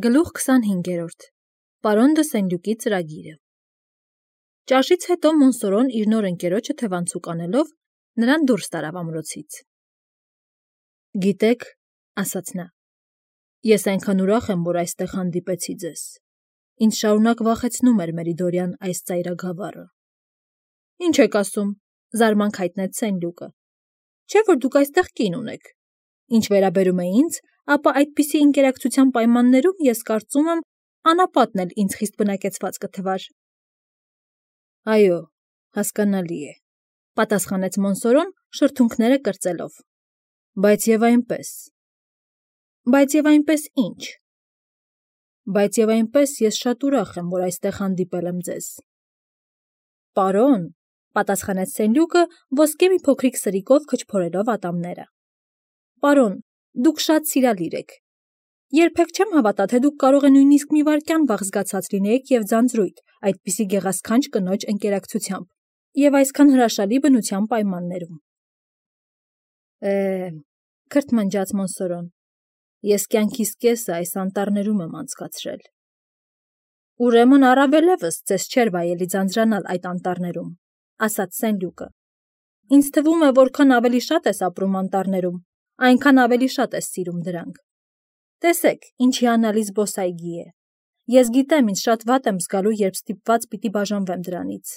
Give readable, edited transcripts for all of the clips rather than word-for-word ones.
Գլուխ 25-րդ Պարոն դը Սենլյուկի ծրագիրը Ճաշից հետո Մոնսորոն իր նոր ընկերոջը թևանցուկ անելով նրան դուրս տարավ ամրոցից։ Գիտեք, ասաց նա, ես այնքան ուրախ եմ, որ այստեղ հանդիպեցի ձեզ։ Ինձ շարունակ վախեցնում էր Մերիդորյան այս ծայրագավառը։ Ինչ եք ասում, զարմանք հայտնեց Սենլյուկը։ Չէ՞ որ դուք այստեղ կին ունեք։ Ինչ վերաբերում է ինձ, ապա այդպիսի ինտերակցիոն պայմաններում ես կարծում եմ անապատն էլ ինձ խիստ բնակեցված կթվար։ Այո, հասկանալի է, պատասխանեց Մոնսորոն շրթունքները կրծելով։ Բայց եւ այնպես։ Բայց եւ այնպես ինչ։ Բայց եւ այնպես ես շատ ուրախ եմ, որ այստեղ հանդիպել եմ ձեզ։ Պարոն, պատասխանեց Սենլյուկը ոսկե մի փոքրիկ սրիկով քչփորելով ատամները։ Պարոն, դուք շատ սիրալիր եք։ Երբեք չեմ հավատա, թե դուք կարող եք նույնիսկ մի վայրկյան վաղ զգացած լինեիք եւ ձանձրույթ, այդպիսի գեղասքանչ կնոջ ընկերակցությամբ եւ այսքան հրաշալի բնության պայմաններում։ Քրթմնջաց Մոնսորոն, ես կյանքիս կեսը այս անտառներում եմ անցկացրել։ Ուրեմն առավելևս ձեզ չէր վայելի ձանձրանալ այդ անտառներում, ասաց Սենլյուկը։ Ինձ թվում է, որքան ավելի շատ ես ապրում անտառներում, այնքան ավելի շատ ես սիրում դրանք։ Տեսեք, ինչ հիանալի զբոսայգի է։ Ես գիտեմ, ինձ շատ վատ եմ զգալու, երբ ստիպված պիտի բաժանվեմ դրանից։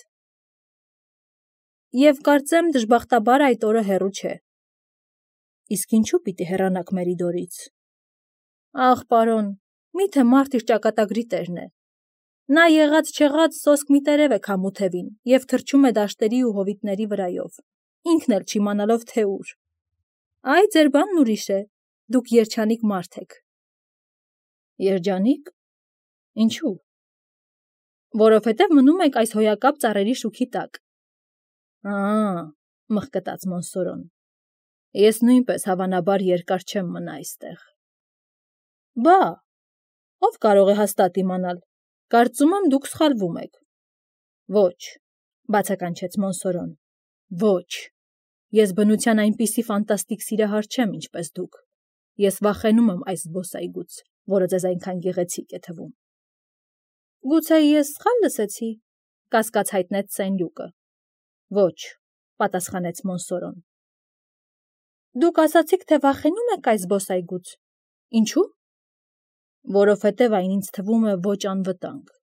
Եվ կարծեմ, դժբախտաբար այդ օրը հեռու չէ։ Իսկ ինչու պիտի հեռանաք Մերիդորից։ Ախ, պարոն, միթե մարդ իր ճակատագրի տերն է։ Նա եղած-չեղած սոսկ մի տերև է քամութևին և թռչում է դաշտերի ու հովիտների վրայով, ինքն էլ չիմանալով թե ուր։ Այ ձեր բանն ուրիշ է, դուք երջանիկ մարդ եք։ Երջանիկ։ Ինչու։ Որովհետև մնում եք այս հոյակապ ծառերի շուքի տակ։ Մխկտաց Մոնսորոն։ Ես նույնպես հավանաբար երկար չեմ մնա այստեղ։ Բա, ով կարող է հաստատ իմանալ։ Կարծում եմ դուք սխալվում եք։ Ոչ, բացականչեց Մոնսորոն։ Ոչ։ Ես բնության այնպիսի ֆանտաստիկ սիրահար չեմ, ինչպես դուք։ Ես վախենում եմ այս զբոսայգուց, որը ձեզ այնքան գեղեցիկ է թվում։ Գուցե ես սխալ լսեցի, կասկած հայտնեց Սենլյուկը։ Ոչ, պատասխանեց Մոնսորոն։ Դուք ասացիք, թե վախենում եք այս զբոսայգուց։ Ինչու։ Որովհետև այն ինձ թվում է ոչ անվտանգ։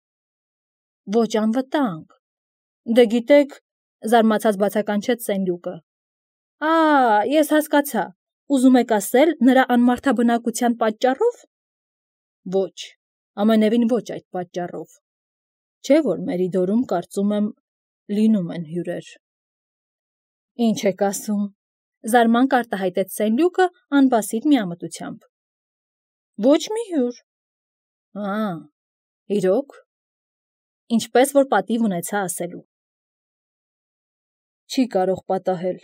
Ոչ անվտանգ։ Դե գիտեք, զարմացած բացականչեց Սենլյուկը։ Ես հասկացա։ Ուզում եք ասել նրա անմարդաբնակության պատճառով։ Ոչ, ամենևին ոչ այդ պատճառով։ Չէ՞ որ Մերիդորում կարծում եմ լինում են հյուրեր։ Ինչ եք ասում։ Զարմանք արտահայտեց Սենլյուկը անբասիկ միամտությամբ։ Ոչ մի հյուր։ Իրոք։ Ինչպես որ պատիվ ունեցա ասելու։ Չի կարող պատահել։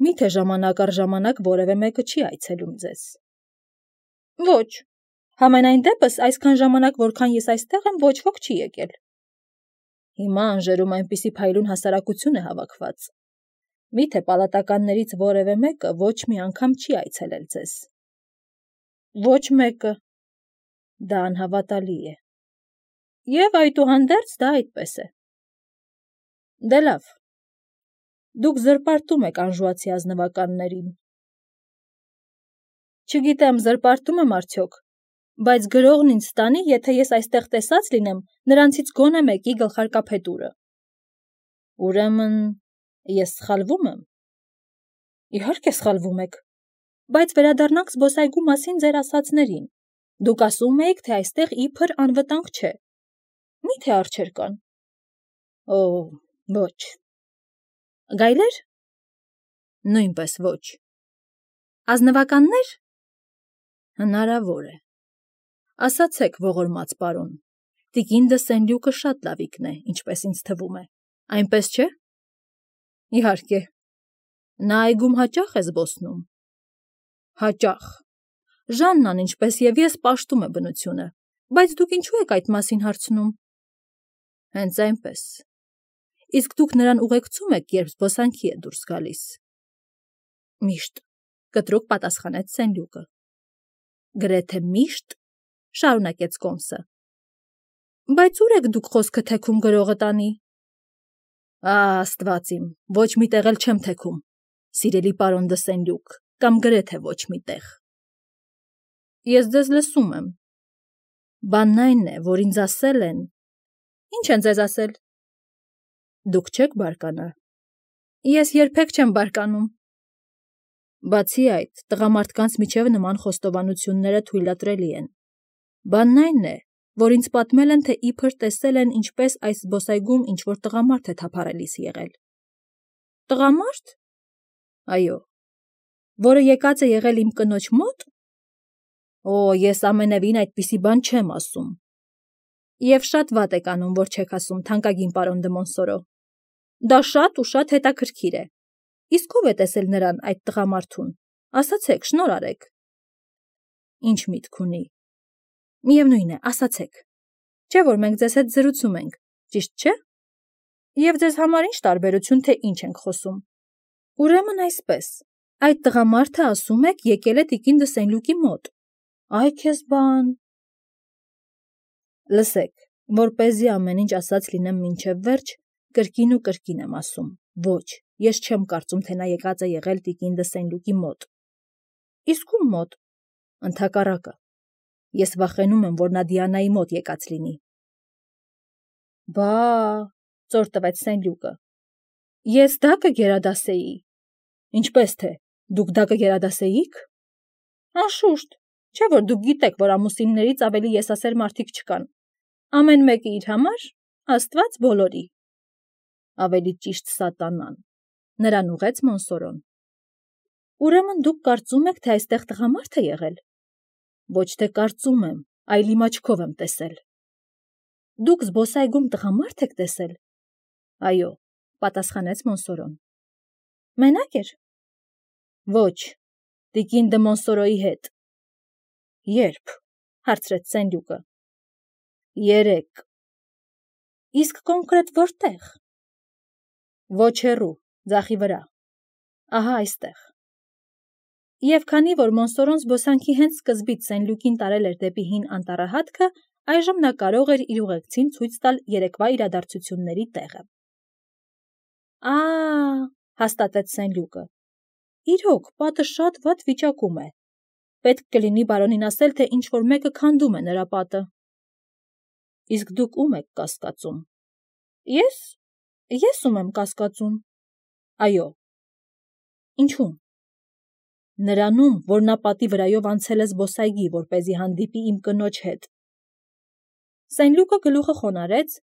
Միթե ժամանակ առ ժամանակ որևէ մեկը չի այցելում ձեզ։ Ոչ։ Համենայն դեպս այսքան ժամանակ, որքան ես այստեղ եմ, ոչ ոք չի եկել։ Հիմա անժերում այնպիսի փայլուն հասարակություն է հավաքված։ Միթե պալատականներից որևէ մեկը ոչ մի անգամ չի այցելել ձեզ։ Ոչ մեկը։ Դա անհավատալի է։ Եվ այդուհանդերձ դա այդպես է։ Դե լավ։ Դուք զրպարտում եք անժուացի ազնվականներին։ Չգիտեմ, զրպարտում եմ արդյոք, բայց գրողն ինձ ստանի, եթե ես այստեղ տեսած լինեմ, նրանցից գոնե մեկի գլխարկափետուրը։ Ուրեմն ես սխալվում եմ։ Իհարկե սխալվում եք, բայց վերադառնանք զբոսայգու մասին ձեր ասածներին։ Դուք ասում էիք, թե այստեղ իբր անվտանգ չէ։ Միթե արջեր կան։ Ոչ։ Գայլեր։ Նույնպես ոչ։ Ազնվականներ։ Հնարավոր է։ Ասացեք, ողորմած պարոն, տիկին դը Սենլյուկը շատ լավիկն է, ինչպես ինձ թվում է, այնպես չէ։ Իհարկե։ Նա այգում հաճախ է զբոսնում։ Հաճախ։ Ժաննան, ինչպես եւ ես, պաշտում է բնությունը, բայց դուք ինչու եք այդ մասին հարցնում։ Հենց այնպես։ Իսկ դուք նրան ուղեկցում եք, երբ զբոսանքի է դուրս գալիս։ Միշտ, կտրուկ պատասխանեց Սենլյուկը։ Գրեթե միշտ, շարունակեց Կոմսը։ Բայց ուր եք դուք խոսքը թեքում գրողը տանի։ Աստված իմ, ոչ մի տեղ էլ չեմ թեքում, սիրելի պարոն դը Սենլյուկ, կամ գրեթե ոչ մի տեղ։ Ես ձեզ լսում եմ։ Բանն այն է, որ ինձ ասել են։ Ինչ են ձեզ ասել։ Դուք չեք բարկանա։ Ես երբեք չեմ բարկանում։ Բացի այդ, տղամարդկանց միջև նման խոստովանությունները թույլատրելի են։ Բանն այն է, որ ինձ պատմել են, թե իբր տեսել են, ինչպես այս զբոսայգում ինչ-որ տղամարդ է թափառելիս եղել։ Տղամարդ։ Այո։ Որը եկած է եղել իմ կնոջ մոտ։ Օ, ես ամենևին այդպիսի բան չեմ ասում։ Եվ շատ վատ եք անում, որ չեք ասում, թանկագին պարոն դը Մոնսորո։ Դա շատ ու շատ հետաքրքիր է։ Իսկ ով է տեսել նրան, այդ տղամարդուն։ Ասացեք, շնորհ արեք։ Ինչ միտք ունի։ Միևնույն է, ասացեք։ Չէ՞ որ մենք ձեզ հետ զրուցում ենք, ճիշտ չէ։ Եվ ձեզ համար ինչ տարբերություն, թե ինչ ենք խոսում։ Ուրեմն այսպես, այդ տղամարդը ասում եք եկել է տիկին դը Սենլյուկի մոտ։ Այ քեզ բան։ Լսեք, որպեսզի ամեն ինչ ասած լինեմ մինչև վերջ, կրկին ու կրկին եմ ասում։ Ոչ, ես չեմ կարծում, թե նա եկած է եղել տիկին դը Սենլյուկի մոտ։ Իսկ ում մոտ։ Ընդհակառակը։ Ես վախենում եմ, որ նա Դիանայի մոտ եկած լինի։ Բա, ծոր տվեց Սենլյուկը։ Ես դա կգերադասեի։ Ինչպես թե, դուք դա կգերադասեիք։ Անշուշտ, չէ՞ որ դուք գիտեք, որ ամուսիններից ավելի եսասեր մարդիկ չկան։ Ամեն մեկը իր համար, Աստված բոլորի։ Ավելի ճիշտ սատանան։ Նրան ուղեց Մոնսորոն։ Ուրեմն դուք կարծում եք, թե այստեղ տղամարդ է եղել։ Ոչ թե կարծում եմ, այլ իմ աչքով եմ տեսել։ Դուք զբոսայգում տղամարդ եք տեսել։ Այո, պատասխանեց Մոնսորոն։ Մենակ էր։ Ոչ, տիկին դը Մոնսորոյի հետ։ Երբ, հարցրեց Սենլյուկը։ Երեկ։ Իսկ կոնկրետ որտեղ։ Ոչ հեռու, ձախի վրա։ Ահա այստեղ։ Եվ քանի որ Մոնսորոն զբոսանքի հենց սկզբից Սենլյուկին տարել էր դեպի հին անտառահատքը, այժմ նա կարող էր իր ուղեկցին ցույց տալ երեկվա իրադարձությունների տեղը։ Հաստատեց Սենլյուկը։ Իրոք, պատը շատ վատ վիճակում է։ Պետք կլինի բարոնին ասել, թե ինչ-որ մեկը քանդում է նրա պատը։ Իսկ դուք ում եք կասկածում։ Ես ում եմ կասկածում։ Այո։ Ինչու՞մ։ Նրանում, որ նա պատի վրայով անցել է զբոսայգի, որպեսզի հանդիպի իմ կնոջ հետ։ Սենլյուկը գլուխը խոնարհեց,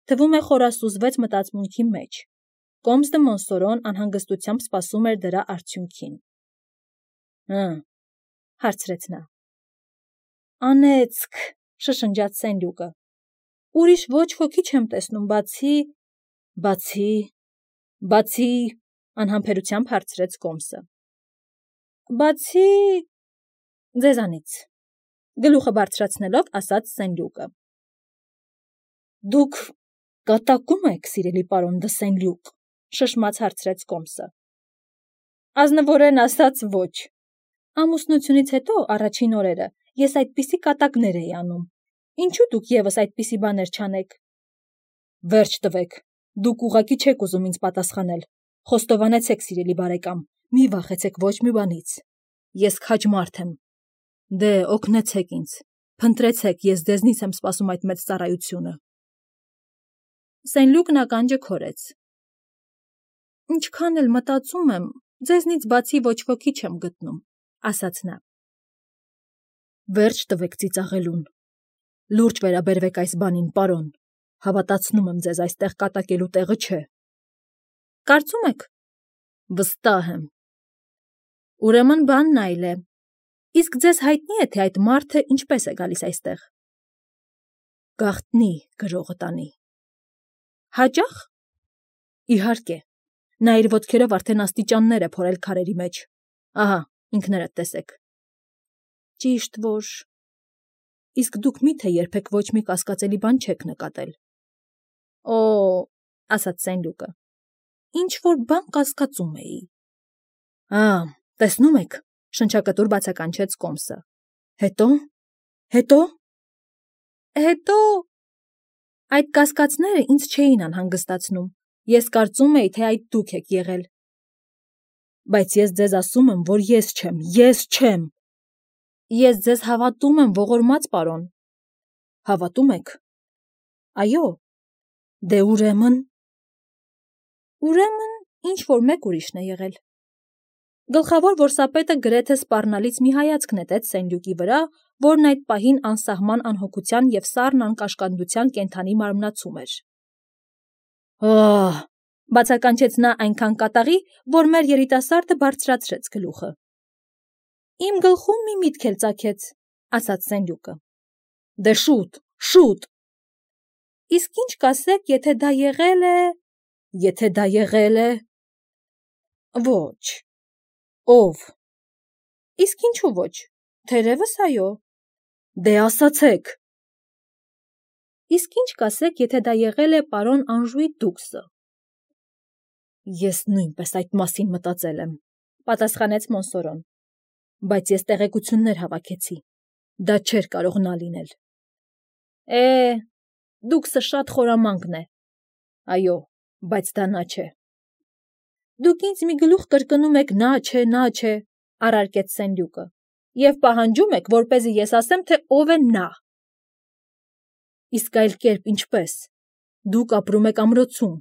թվում է խորասուզվեց մտածմունքի մեջ։ Կոմս դը Մոնսորոն անհանգստությամբ սպասում էր դրա արդյունքին։ Հարցրեց նա։ Անեծք, շշնջաց Սենլյուկը։ Ուրիշ ոչ ոքի չեմ տեսնում, բացի, անհամբերությամբ հարցրեց Կոմսը։ Բացի ձեզանից, գլուխը բարձրացնելով ասաց Սենլյուկը։ Դուք կատակում եք, սիրելի պարոն դը Սենլյուկ, շշմած հարցրեց Կոմսը։ Ազնվորեն ասած ոչ։ Ամուսնությունից հետո առաջին օրերը ես այդպիսի կատակներ էի անում։ Ինչու դուք եւս այդպիսի բաներ չանեք։ Վերջ տվեք, դուք ուղղակի չեք ուզում ինձ պատասխանել։ Խոստովանեցեք, սիրելի բարեկամ, մի վախեցեք ոչ մի բանից։ Ես քաջ մարդ եմ։ Դե, օգնեցեք ինձ, փնտրեցեք, ես ձեզնից եմ սպասում այդ մեծ ծառայությունը։ Սենլյուկն ականջը քորեց։ Ինչքան էլ մտածում եմ, ձեզնից բացի ոչ ոքի չեմ գտնում, ասաց նա։ Վերջ տվեք ծիծաղելուն։ Լուրջ վերաբերվեք այս բանին, պարոն։ Հավատացնում եմ ձեզ, այստեղ կատակելու տեղը չէ։ Կարծում եք։ Վստահ եմ։ Ուրեմն բանն այլ է։ Իսկ ձեզ հայտնի է, թե այդ մարդը ինչպես է գալիս այստեղ։ Գաղտնի գրողը տանի։ Հաճախ։ Իհարկե։ Նա իր ոտքերով արդեն աստիճաններ է փորել քարերի մեջ։ Ահա, ինքներդ տեսեք։ Ճիշտ որ։ Իսկ դուք միթե երբեք ոչ մի կասկածելի բան չեք նկատել։ Օ, ասաց Սենլյուկը։ Ինչ որ բան կասկածում էի։ Տեսնում եք, շնչակտուր բացականչեց Կոմսը։ Հետո։ Հետո այդ կասկածները ինձ չէին անհանգստացնում, ես կարծում էի, թե այդ դուք եք եղել։ Բայց ես ձեզ ասում եմ, որ ես չեմ։ Ես ձեզ հավատում եմ, ողորմած պարոն։ Հավատում եք։ Այո։ Դե ուրեմն ինչ-որ մեկ ուրիշն է եղել։ Գլխավոր որսապետը գրեթե սպառնալից մի հայացք նետեց Սենյուկի վրա, որն այդ պահին անսահման անհոգության և սառն անկաշկանդության կենդանի մարմնացում էր։ Բացականչեց նա այնքան կատաղի, որ մեր երիտասարդը բարձրացրեց գլուխը։ Իմ գլխում մի միտք էլ ծագեց, ասաց Սենյուկը։ Դե շուտ։ Իսկ ինչ կասեք, եթե դա եղել է… Ոչ։ Ո՞վ։ Իսկ ինչու ոչ, թերևս այո։ Դե ասացեք։ Իսկ ինչ կասեք, եթե դա եղել է պարոն Անժուի դուքսը։ Ես նույնպես այդ մասին մտածել եմ, պատասխանեց Մոնսորոն, բայց ես տեղեկություններ հավաքեցի, դա չէր կարող նա լինել։ Դուքսը շատ խորամանկն է։ Այո, բայց դա նա չէ։ Դուք ինձ մի գլուխ կրկնում եք նա չէ, առարկեց Սենյուկը, և պահանջում եք, որպեսզի ես ասեմ, թե ով է նա։ Իսկ այլ կերպ ինչպես։ Դուք ապրում եք ամրոցում,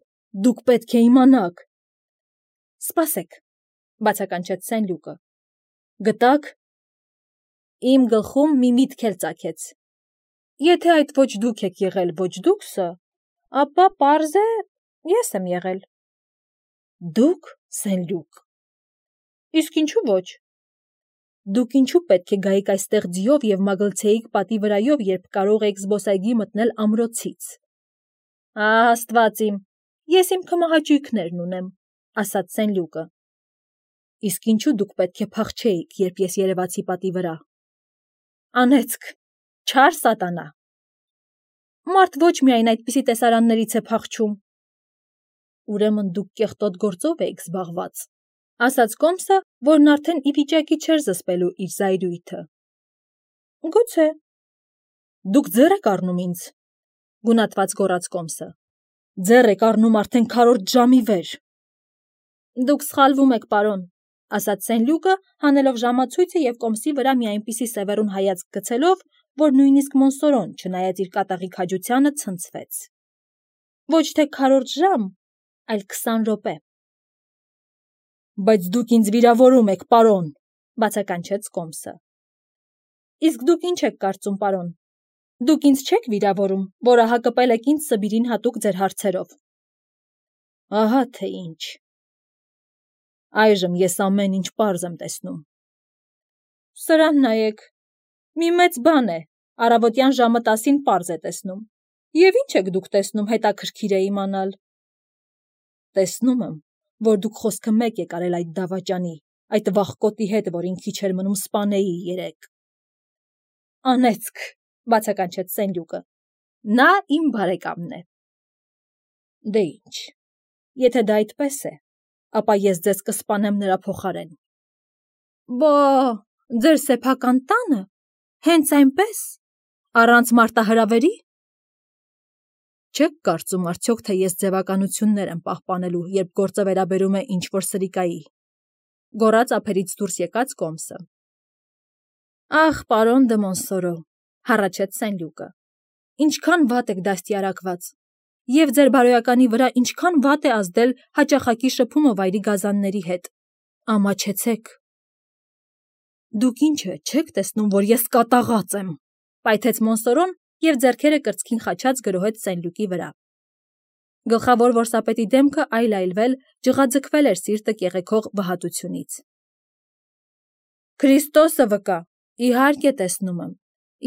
դուք պետք է իմանաք։ Սպասեք, բացականչեց Սենյուկը։ Գտա՞ք։ Իմ գլխում մի միտք էլ ծագեց։ Եթե այդ ոչ դուք եք եղել, ոչ դուքսը, ապա պարզ է, ես եմ եղել։ Դուք, Սենյուկ։ Իսկ ինչու ոչ։ Դուք ինչու պետք է գայիք այստեղ ձիով և մագլցեիք պատի վրայով, երբ կարող էիք զբոսայգի մտնել ամրոցից։ Աստված իմ, ես իմ քմահաճույքներն ունեմ, ասաց Սենյուկը։ Իսկ ինչու դուք պետք է փախչեիք, երբ ես երևացի պատի վրա։ Անեծք, չար սատանա։ Մարդ ոչ միայն այդպիսի տեսարաններից է փախչում։ Ուրեմն դուք կեղտոտ գործով էիք զբաղված, ասաց Կոմսը, որն արդեն ի վիճակի չէր զսպելու իր զայրույթը։ Գուցե։ Դուք ձեռ եք առնում ինձ, գունատված գոռաց Կոմսը։ Ձեռ եք առնում արդեն քառորդ ժամի վեր։ Դուք սխալվում եք, պարոն, ասաց Սենյուկը, հանելով ժամացույցը և Կոմսի վրա մի այնպիսի սևեռուն հայացք գցելով, որ նույնիսկ Մոնսորոն, չնայած իր կատաղի քաջությանը, ցնցվեց։ Ոչ թե քառորդ ժամ, այլ 20 րոպե։ Բայց դուք ինձ վիրավորում եք, պարոն, բացականչեց Կոմսը։ Իսկ դուք ինչ եք կարծում, պարոն։ Դուք ինձ չեք վիրավորում, որը հակպել եք ինձ Սբիրին հատուկ ձեր հարցերով։ Ահա թե ինչ։ Այժմ ես ամեն ինչ պարզ եմ տեսնում։ Սրան նայեք, մի մեծ բան է, առավոտյան ժամը 10-ին պարզ է տեսնում։ Եվ ինչ եք դուք տեսնում, հետաքրքիր է իմանալ։ Տեսնում եմ, որ դուք խոսքը մեկ եք արել այդ դավաճանի, այդ վախկոտի հետ, որին քիչ էր մնում սպանեի երեկ։ Անեծք, բացականչեց Սենյուկը։ Նա իմ բարեկամն է։ Դե ինչ, եթե դա այդպես է, ապա ես ձեզ կսպանեմ նրա փոխարեն։ Բա, ձեր սեփական տանը, հենց այնպես, առանց մարտահրավերի։ Չեք կարծում արդյոք, թե ես ձևականություններ եմ պահպանելու, երբ գործը վերաբերում է ինչ-որ սրիկայի, գոռաց ափերից դուրս եկած Կոմսը։ Ախ, պարոն դը Մոնսորո, հառաչեց Սենյուկը, ինչքան վատ եք դաստիարակված, և ձեր բարոյականի վրա ինչքան վատ է ազդել հաճախակի շփումը վայրի գազանների հետ, ամաչեցեք։ Դուք ինչ է, չեք տեսնում, որ ես կատաղած եմ, պայթեց Մոնսորոն և ձեռքերը կրծքին խաչած գրոհեց Սենյուկի վրա։ Գլխավոր որսապետի դեմքը այլ-այլվել, ջղաձգվել էր սիրտը կեղեքող վհատությունից։ Քրիստոսը վկա, իհարկե տեսնում եմ,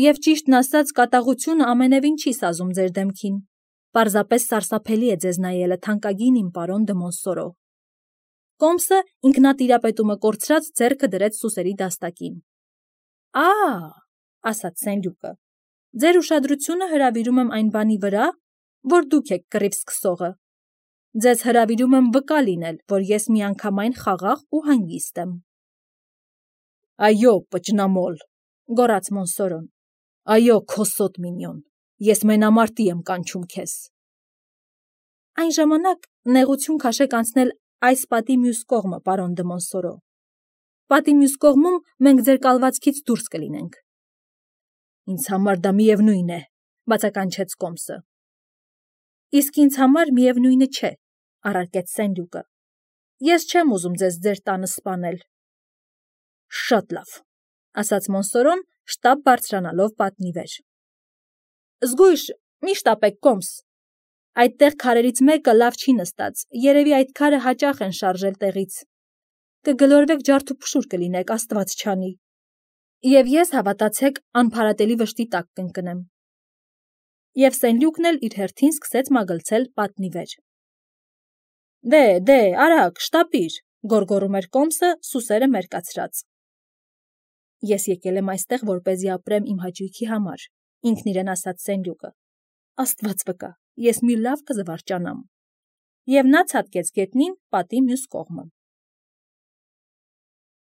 և ճիշտն ասած կատաղությունը ամենևին չի սազում ձեր դեմքին, պարզապես սարսափելի է ձեզ նայելը, թանկագին իմ պարոն դը Մոնսորո։ Կոմսը ինքնատիրապետումը կորցրած ձեռքը դրեց սուսերի դաստակին։ Ասաց Սենյուկը, ձեր ուշադրությունը հրավիրում եմ այն բանի վրա, որ դուք եք կռիվ սկսողը։ Ձեզ հրավիրում եմ վկա լինել, որ ես միանգամայն խաղաղ ու հանգիստ եմ։ Այո, պճնամոլ, գոռաց Մոնսորոն, այո, քոսոտ մինյոն, ես մենամարտի եմ կանչում քեզ։ Այն ժամանակ նեղություն քաշեք անցնել այս պատի մյուս կողմը, պարոն դը Մոնսորո։ Պատի մյուս կողմում մենք ձեր կալվածքից դուրս կլինենք։ Ինձ համար դա միևնույն է, բացականչեց Կոմսը։ Իսկ ինձ համար միևնույնը չէ, առարկեց Սենլյուկը։ Ես չեմ ուզում ձեզ ձեր տանը սպանել։ Շատ լավ, ասաց Մոնսորոն, շտապ բարձրանալով պատնի վեր։ Զգույշ, մի շտապեք, Կոմս։ Այդտեղ քարերից մեկը լավ չի նստած, երևի այդ քարը հաճախ են շարժել տեղից։ Կգլորվեք ջարդուփշուր կլինեք, Աստված չանի։ Եվ ես, հավատացեք, անփարատելի վշտի տակ կընկնեմ։ Եվ Սենլյուկն էլ իր հերթին սկսեց մագլցել պատնի վեր։ Դե, արագ, շտապիր, գոռգոռում էր Կոմսը, սուսերը մերկացրած։ Ես եկել եմ այստեղ, որպեսզի ապրեմ իմ հաճույքի համար, ինքն իրեն ասաց Սենլյուկը։ Աստված վկա, ես մի լավ կզվարճանամ։ Եվ նա ցատկեց գետնին պատի մյուս կողմը։